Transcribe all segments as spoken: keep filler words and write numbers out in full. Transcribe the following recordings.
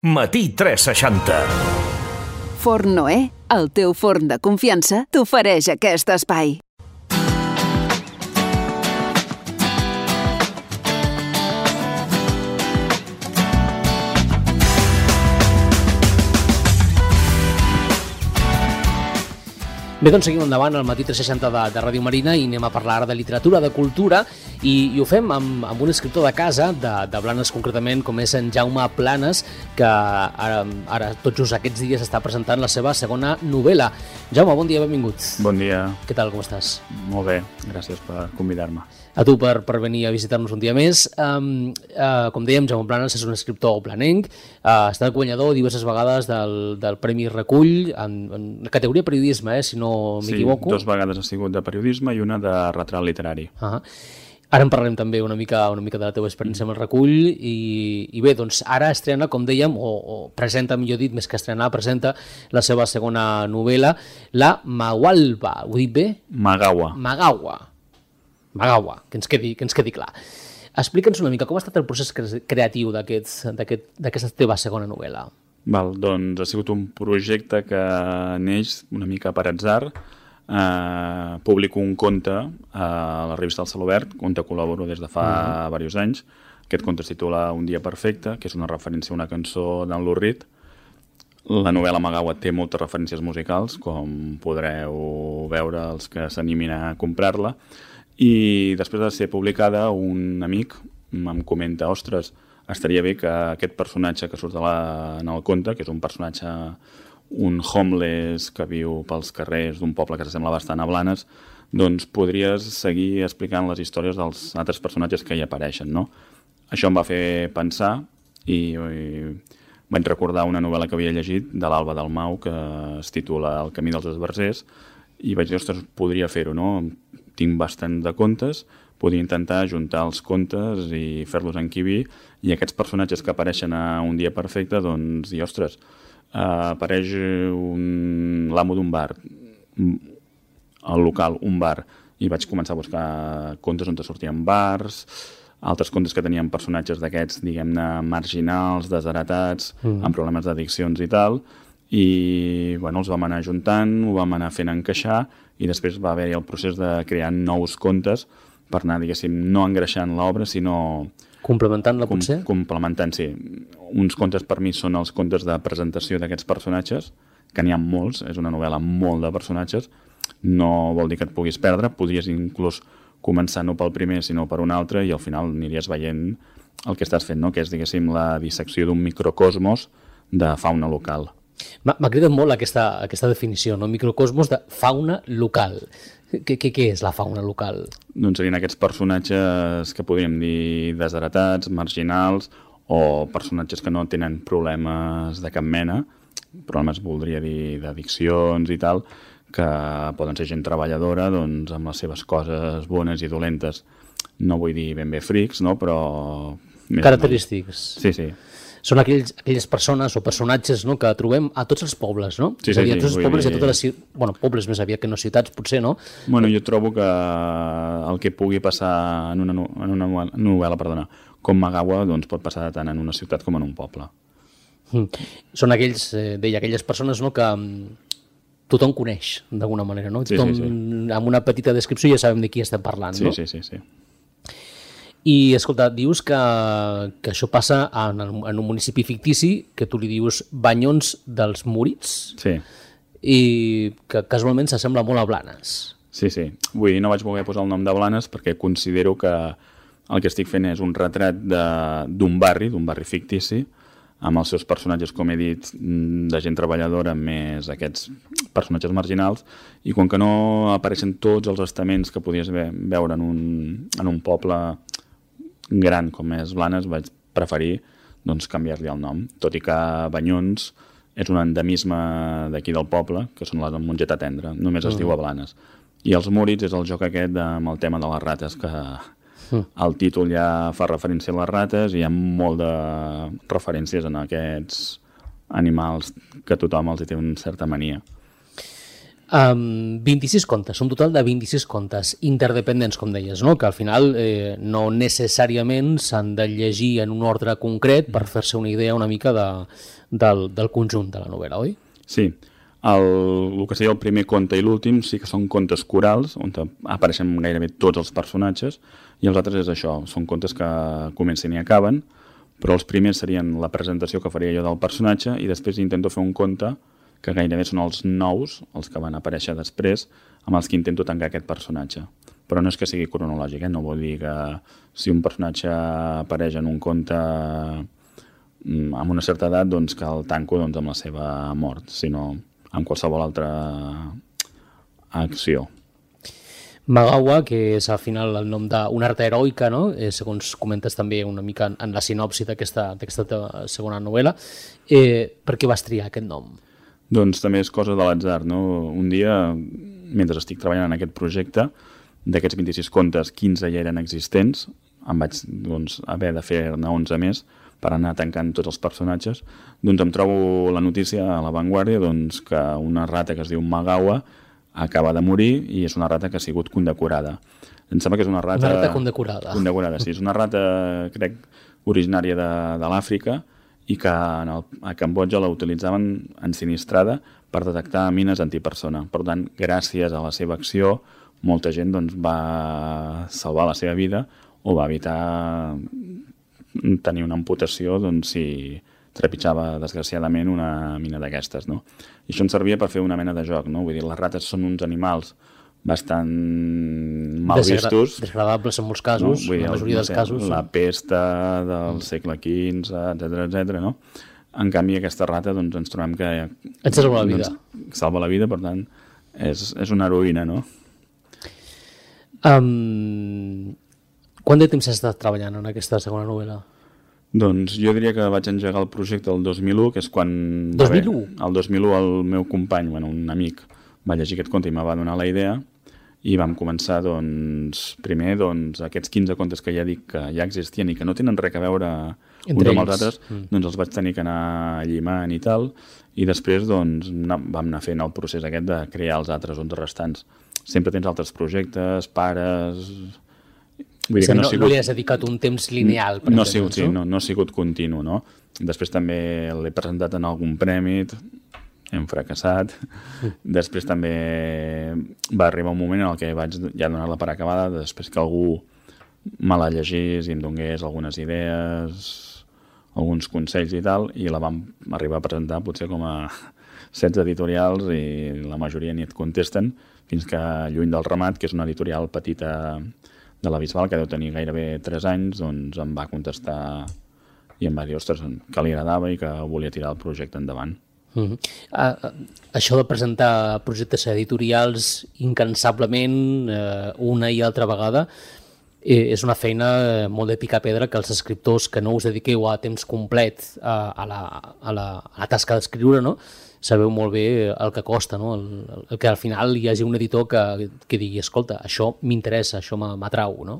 Matí tres seixanta. Forn Noè, el teu forn de confiança, t'ofereix aquest espai. Bé, doncs seguim endavant al Matí tres seixanta de, de Ràdio Marina i anem a parlar de literatura, de cultura, i, i ho fem amb, amb un escriptor de casa, de, de Blanes concretament, com és en Jaume Planes, que ara, ara tot just aquests dies està presentant la seva segona novel·la. Jaume, bon dia, benvingut. Bon dia. Què tal, com estàs? Molt bé, gràcies per convidar-me. A tu per, per venir a visitar-nos un dia més. Um, uh, com dèiem, Jaume Planes és un escriptor planenc, uh, ha estat guanyador diverses vegades del, del Premi Recull, en, en categoria periodisme, eh, si no m'equivoco. Sí, dues vegades ha sigut de periodisme i una de retrat literari. Uh -huh. Ara en parlarem també una mica, una mica de la teva experiència amb el recull i, i bé, doncs ara estrena, com dèiem, o, o presenta, millor dit, més que estrenar, presenta la seva segona novel·la, la Magualba. Ho he dit bé? Magawa. Magawa. Magawa, que ens quedi, que ens quedi clar. Explica'ns una mica com ha estat el procés creatiu d'aquesta aquest, teva segona novel·la. Val, doncs ha sigut un projecte que neix una mica per atzar. Eh, publico un conte a la revista El Celobert, on col·laboro des de fa uh-huh. diversos anys. Aquest conte es titula Un dia perfecte, que és una referència a una cançó d'en Lou Reed. La novel·la Magawa té moltes referències musicals, com podreu veure els que s'animin a comprar-la. I després de ser publicada, un amic em comenta, ostres, estaria bé que aquest personatge que surt de la, en el conte, que és un personatge, un homeless que viu pels carrers d'un poble que s'assembla bastant a Blanes, doncs podries seguir explicant les històries dels altres personatges que hi apareixen, no? Això em va fer pensar i, i vaig recordar una novel·la que havia llegit de l'Alba Dalmau que es titula El camí dels esbarzers i vaig dir, ostres, podria fer-ho, no? Tinc bastant de contes, podria intentar juntar els contes i fer-los encabir, i aquests personatges que apareixen a Un dia perfecte, doncs, i ostres, uh, apareix un... l'amo d'un bar, el local, un bar, i vaig començar a buscar contes on sortien bars, altres contes que tenien personatges d'aquests, diguem-ne, marginals, desheretats, mm. amb problemes d'addiccions i tal, i bueno, els vam anar juntant, ho vam anar fent encaixar, i després va haver-hi el procés de crear nous contes per anar, diguéssim, no engreixant l'obra, sinó... Complementant-la, com, potser? Complementant, sí. Uns contes per mi són els contes de presentació d'aquests personatges, que n'hi ha molts, és una novel·la molt de personatges, no vol dir que et puguis perdre, podries inclús començar no pel primer, sinó per un altre, i al final aniries veient el que estàs fent, no? Que és, diguéssim, la dissecció d'un microcosmos de fauna local. M'ha cridat molt aquesta, aquesta definició, no? Microcosmos de fauna local. Què, què, què és la fauna local? Doncs serien aquests personatges que podríem dir desheretats, marginals, o personatges que no tenen problemes de cap mena, problemes, voldria dir, d'addiccions i tal, que poden ser gent treballadora, doncs, amb les seves coses bones i dolentes. No vull dir ben bé frics, no? Però... Característics. Sí, sí. Són aquells, aquelles persones o personatges, no, que trobem a tots els pobles, no? Sí, sí, és a dir, a tots sí, els pobles dir... i a totes les... Bueno, pobles més aviat que no ciutats, potser, no? Bueno, jo trobo que el que pugui passar en una, en una novel·la, perdona, com Magawa, doncs pot passar tant en una ciutat com en un poble. Mm. Són aquells, eh, deia, aquelles persones, no, que tothom coneix, d'alguna manera, no? Sí, tothom, sí, sí. Amb una petita descripció ja sabem de qui estem parlant, sí, no? Sí, sí, sí. I, escolta, dius que, que això passa en, el, en un municipi fictici, que tu li dius Banyons dels Múrits, sí. I que casualment s'assembla molt a Blanes. Sí, sí. Vull dir, no vaig voler posar el nom de Blanes perquè considero que el que estic fent és un retrat d'un barri, d'un barri fictici, amb els seus personatges, com he dit, de gent treballadora, més aquests personatges marginals, i com que no apareixen tots els estaments que podies veure en un, en un poble gran com és Blanes, vaig preferir doncs, canviar-li el nom, tot i que Banyons és un endemisme d'aquí del poble, que són la Mongeta Tendra, només es mm. diu a Blanes. I els Múrits és el joc aquest amb el tema de les rates, que mm. el títol ja fa referència a les rates i hi ha molt de referències en aquests animals que tothom els té una certa mania. Um, vint-i-sis contes, un total de vint-i-sis contes interdependents, com deies, no? Que al final eh, no necessàriament s'han de llegir en un ordre concret per fer-se una idea una mica de, del, del conjunt de la novel·la, oi? Sí, el, el que seria el primer conte i l'últim sí que són contes corals, on apareixen gairebé tots els personatges, i els altres és això, són contes que comencen i acaben, però els primers serien la presentació que faria jo del personatge i després intento fer un conte que gairebé són els nous, els que van aparèixer després, amb els que intento tancar aquest personatge. Però no és que sigui cronològic, eh? No vol dir que si un personatge apareix en un conte amb una certa edat, doncs que el tanco doncs, amb la seva mort, sinó amb qualsevol altra acció. Magawa, que és al final el nom d'una arta heroica, no? Eh, segons comentes també una mica en la sinopsi d'aquesta segona novel·la. Eh, per què vas triar aquest nom? Doncs també és cosa de l'atzar, no? Un dia, mentre estic treballant en aquest projecte, d'aquests vint-i-sis contes, quinze ja eren existents, em vaig doncs, haver de fer-ne onze més per anar tancant tots els personatges, doncs em trobo la notícia a La Vanguardia doncs, que una rata que es diu Magawa acaba de morir i és una rata que ha sigut condecorada. Em sembla que és una rata... Una rata condecorada. Condecorada, sí. És una rata, crec, originària de, de l'Àfrica, i que en el, a Cambodja la utilitzaven ensinistrada per detectar mines antipersona. Per tant, gràcies a la seva acció, molta gent doncs, va salvar la seva vida o va evitar tenir una amputació doncs, si trepitjava desgraciadament una mina d'aquestes. No? I això ens servia per fer una mena de joc. No? Vull dir, les rates són uns animals bastant mal vistos. Desagradables en molts casos, no? Dir, la majoria no sé, dels casos. La pesta del segle quinze, etcètera, etcètera, no? En canvi, aquesta rata doncs, ens trobem que... Et salva la vida. Doncs, salva la vida, per tant, és, és una heroïna, no? Um, quant de temps has estat treballant en aquesta segona novel·la? Doncs jo diria que vaig engegar el projecte el dos mil u, que és quan... dos mil u? El dos mil u el meu company, bueno, un amic, va llegir aquest conte i me va donar la idea i vam començar, doncs, primer, doncs, aquests quinze contes que ja dic que ja existien i que no tenen res a veure uns amb els altres, mm. doncs els vaig tenir que anar llimant i tal, i després, doncs, vam anar fent el procés aquest de crear els altres onze restants. Sempre tens altres projectes, pares... Vull dir sí, que no, no, sigut... no li has dedicat un temps lineal, per no exemple. Sigut, sí, no, no ha sigut continu, no? Després també l'he presentat en algun premi, hem fracassat. Després també va arribar un moment en el que vaig ja donar-la per acabada, després que algú me la llegís i em donés algunes idees, alguns consells i tal, i la vam arribar a presentar potser com a setze editorials i la majoria ni et contesten, fins que Lluny del Ramat, que és una editorial petita de la Bisbal, que deu tenir gairebé tres anys, doncs em va contestar i em va dir, ostres, que li agradava i que volia tirar el projecte endavant. Uh-huh. uh, això de presentar projectes editorials incansablement uh, una i altra vegada eh, és una feina molt de picar pedra que els escriptors que no us dediqueu a temps complet a, a, la, a, la, a la tasca d'escriure, no? Sabeu molt bé el que costa, no? el, el que al final hi hagi un editor que, que digui, escolta, això m'interessa, això m'atrau, no?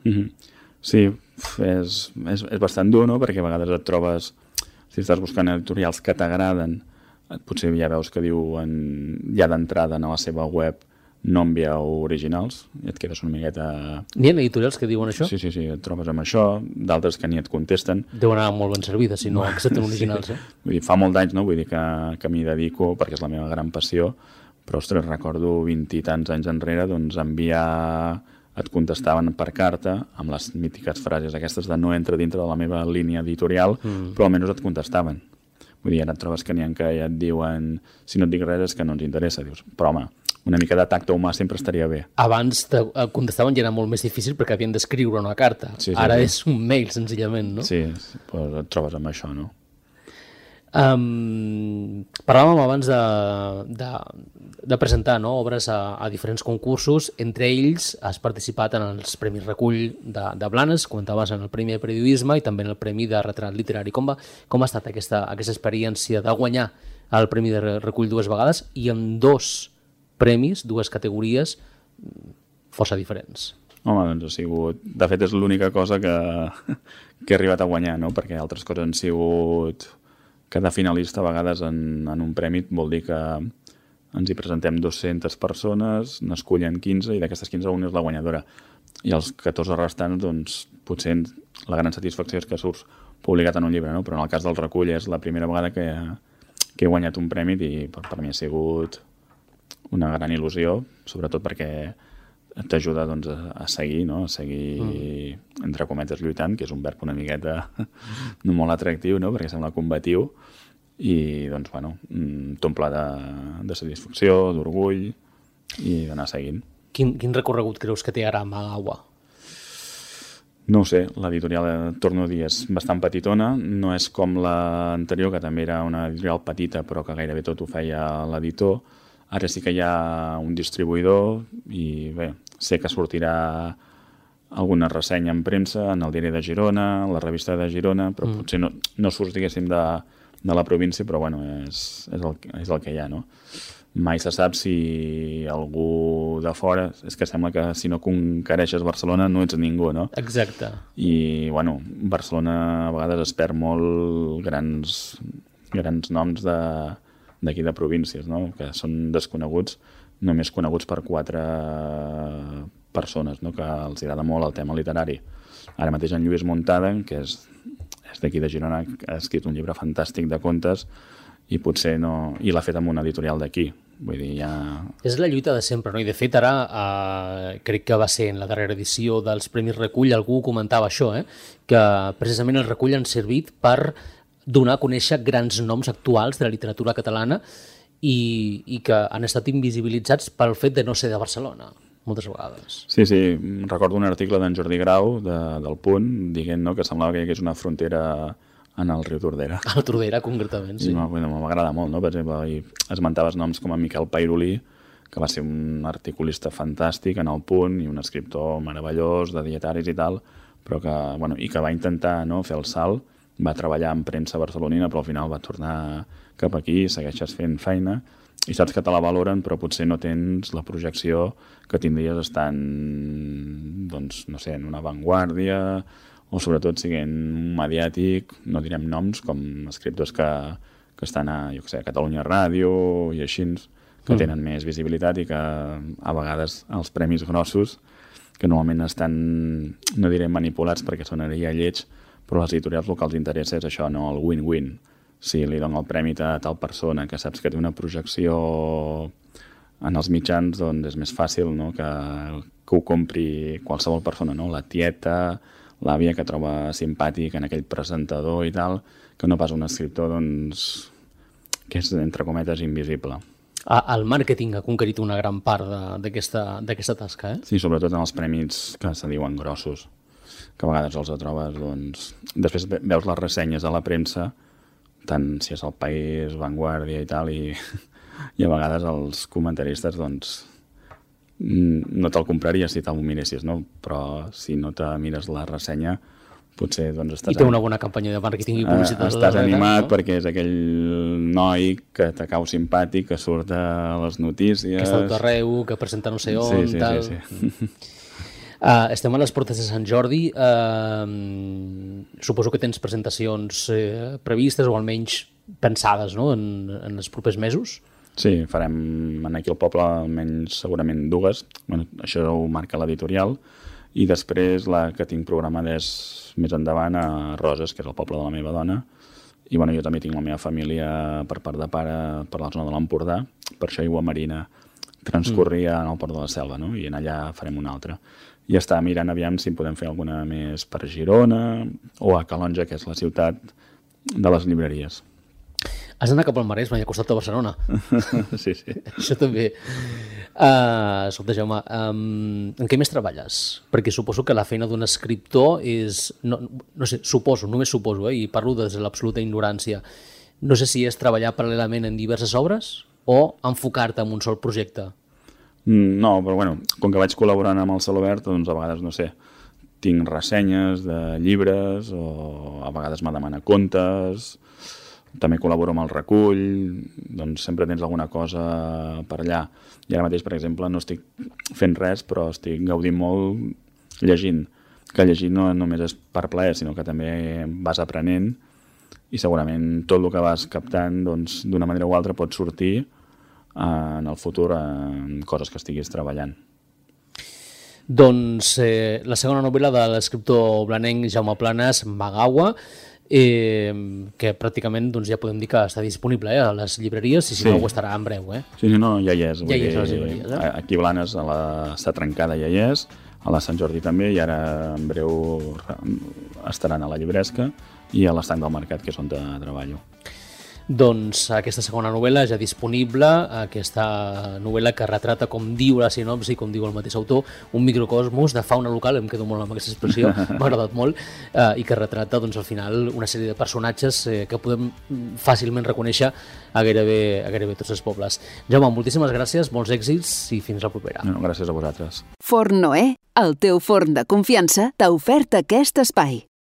Uh-huh. Sí, és, és, és bastant dur, no? Perquè a vegades et trobes, si estàs buscant editorials que t'agraden, potser ja veus que diuen ja d'entrada a la seva web no envieu originals i et quedes una miqueta... N'hi ha editorials que diuen això? Sí, sí, sí, et trobes amb això, d'altres que ni et contesten. Deu anar molt ben servida si no accepten originals, sí. eh? Vull dir, fa molt d'anys, no? Vull dir que, que m'hi dedico perquè és la meva gran passió, però, ostres, recordo vint i tants anys enrere, doncs, enviar... et contestaven per carta amb les mítiques frases aquestes de no entra dintre de la meva línia editorial, mm. però almenys et contestaven. Vull dir, ara et trobes que n'hi ha que ja et diuen si no et dic res és que no ens interessa. Dius, però home, una mica de tacte humà sempre estaria bé. Abans te contestaven i era molt més difícil perquè havien d'escriure una carta. Sí, sí, ara sí. És un mail, senzillament, no? Sí, pues et trobes amb això, no? Um, parlàvem abans de, de, de presentar, no, obres a, a diferents concursos. Entre ells has participat en els Premis Recull de, de Blanes, comentaves en el Premi de Periodisme i també en el Premi de Retrat Literari. Com, va, com ha estat aquesta, aquesta experiència de guanyar el Premi de Recull dues vegades i amb dos premis, dues categories força diferents? Home, doncs ha sigut... De fet, és l'única cosa que, que he arribat a guanyar, no? Perquè altres coses han sigut... Cada finalista a vegades en, en un premi vol dir que ens hi presentem dues-centes persones, n'escullen quinze i d'aquestes quinze una és la guanyadora. I els catorze restants, doncs, potser la gran satisfacció és que surts publicat en un llibre, no? Però en el cas del recull és la primera vegada que, que he guanyat un premi i per, per mi ha sigut una gran il·lusió, sobretot perquè t'ajuda doncs, a, a seguir, no? A seguir, mm. entre cometes, lluitant, que és un verb una miqueta no molt atractiu, no? Perquè sembla combatiu, i doncs, bueno, t'omple de, de satisfacció, d'orgull, i d'anar seguint. Quin, quin recorregut creus que té ara Magawa? No ho sé, l'editorial, torno a dir, és bastant petitona, no és com l'anterior, que també era una editorial petita, però que gairebé tot ho feia l'editor. Ara sí que hi ha un distribuïdor i bé, sé que sortirà alguna ressenya en premsa, en el diari de Girona, la revista de Girona, però mm. potser no, no surt, diguéssim, de, de la província, però bueno, és, és, el, és el que hi ha, no? Mai se sap si algú de fora... És que sembla que si no conquereixes Barcelona no ets ningú, no? Exacte. I, bueno, Barcelona a vegades es perd molt grans, grans noms de d'aquí de províncies, no? Que són desconeguts, només coneguts per quatre persones, no? Que els agrada molt el tema literari. Ara mateix en Lluís Muntaden, que és, és d'aquí de Girona, ha escrit un llibre fantàstic de contes i potser no... I l'ha fet amb una editorial d'aquí. Vull dir, ja... És la lluita de sempre, no? I de fet ara, eh, crec que va ser en la darrera edició dels Premis Recull, algú comentava això, eh? Que precisament el Recull han servit per donar a conèixer grans noms actuals de la literatura catalana i, i que han estat invisibilitzats pel fet de no ser de Barcelona, moltes vegades. Sí, sí, recordo un article d'en Jordi Grau, de, del Punt, dient, no, que semblava que hi hagués una frontera en el riu Tordera. Al Tordera, concretament, sí. M'agrada molt, no? Per exemple, i esmentaves noms com en Miquel Pairolí, que va ser un articulista fantàstic en el Punt i un escriptor meravellós de dietaris i tal, però que, bueno, i que va intentar, no, fer el salt, va treballar en premsa barcelonina, però al final va tornar cap aquí, segueixes fent feina i saps que te la valoren, però potser no tens la projecció que tindries estant, doncs, no sé, en una avantguàrdia o sobretot siguent mediàtic, no direm noms, com escriptors que, que estan a, jo què sé, a Catalunya Ràdio i així, que mm. tenen més visibilitat i que a vegades els premis grossos, que normalment estan, no diré manipulats perquè sonaria lleig, però les editorials el que els interessa és això, no? El win-win. Si li dono el premi a tal persona que saps que té una projecció en els mitjans, doncs és més fàcil, no? que, que ho compri qualsevol persona, no? La tieta, l'àvia que troba simpàtic en aquell presentador i tal, que no pas un escriptor doncs, que és, entre cometes, invisible. El màrqueting ha conquerit una gran part d'aquesta tasca, eh? Sí, sobretot en els premis que se diuen grossos, que a vegades els trobes, doncs... Després veus les ressenyes a la premsa, tant si és El País, Vanguardia i tal, i, i a vegades els comentaristes, doncs, no te'l compraries si te'l miressis, no? Però si no te mires la ressenya, potser doncs estàs... I té una bona campanya de màrqueting i publicitat. Estàs animat, no? Perquè és aquell noi que te cau simpàtic, que surt a les notícies... Que està tot arreu, que presenta no sé on, sí, sí, tal... Sí, sí. Uh, estem a les portes de Sant Jordi. Uh, suposo que tens presentacions uh, previstes o almenys pensades, no? en, en els propers mesos. Sí, farem aquí al poble almenys segurament dues. Bueno, això ho marca l'editorial. I després la que tinc programada és més endavant a Roses, que és el poble de la meva dona. I bueno, jo també tinc la meva família per part de pare per la zona de l'Empordà. Per això Aigua Marina transcorria mm. en el Port de la Selva, no? I en allà farem una altra. I està mirant aviam si podem fer alguna més per Girona o a Calonja, que és la ciutat de les llibreries. Has d'anar cap al Maresme i al costat de Barcelona. Sí, sí. Això també. Uh, escolta, Jaume, um, en què més treballes? Perquè suposo que la feina d'un escriptor és... No, no sé, suposo, només suposo, eh, i parlo des de l'absoluta ignorància. No sé si és treballar paral·lelament en diverses obres o enfocar-te en un sol projecte. No, però bueno, com que vaig col·laborant amb el Celobert, doncs a vegades, no sé, tinc ressenyes de llibres o a vegades me demana contes, també col·laboro amb el Recull, doncs sempre tens alguna cosa per allà. I ara mateix, per exemple, no estic fent res, però estic gaudint molt llegint, que llegir no només és per plaer, sinó que també vas aprenent i segurament tot el que vas captant, doncs, d'una manera o altra pot sortir en el futur en coses que estiguis treballant. Doncs eh, la segona novel·la de l'escriptor blanenc Jaume Planas, Magawa, eh, que pràcticament doncs, ja podem dir que està disponible eh, a les llibreries, i si sí. no ho estarà en breu. Eh? Sí, sí, no, ja hi és. Ja hi és a les llibreries. Eh? Aquí a Blanes a la Està Trencada ja hi és, a la Sant Jordi també, i ara en breu estaran a la Llibresca i a l'Estanc del Mercat, que és on treballo. Doncs aquesta segona novel·la ja disponible, aquesta novel·la que retrata, com diu la sinopsi, com diu el mateix autor, un microcosmos de fauna local, em quedo molt amb aquesta expressió, m'ha agradat molt, eh, i que retrata doncs, al final una sèrie de personatges eh, que podem fàcilment reconèixer a gairebé, a gairebé tots els pobles. Jaume, moltíssimes gràcies, molts èxits i fins la propera. No, gràcies a vosaltres. Forn Noè, el teu forn de confiança, t'ha ofert aquest espai.